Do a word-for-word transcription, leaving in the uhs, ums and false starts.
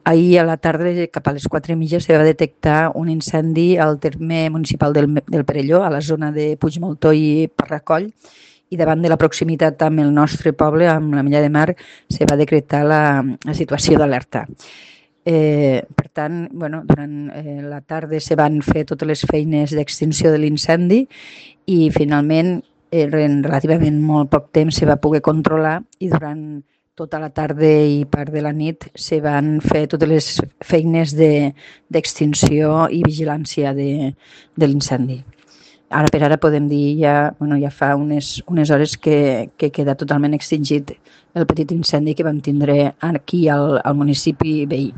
ahir a la tarda, cap a les quatre i mitja, se va detectar un incendi al terme municipal del, del Perelló, a la zona de Puigmoltó i Parracoll, i davant de la proximitat amb el nostre poble, amb la Milla de Mar, se va decretar la, la situació d'alerta. Eh, per tant, bueno, durant eh, la tarda se van fer totes les feines d'extinció de l'incendi i finalment, eh, en relativament molt poc temps, se va poder controlar i durant tota la tarda i part de la nit se van fer totes les feines d'extinció de, i vigilància de, de l'incendi. Ara per ara podem dir, ja, bueno, ja fa unes, unes hores que, que queda totalment extingit el petit incendi que vam tindre aquí al, al municipi veí.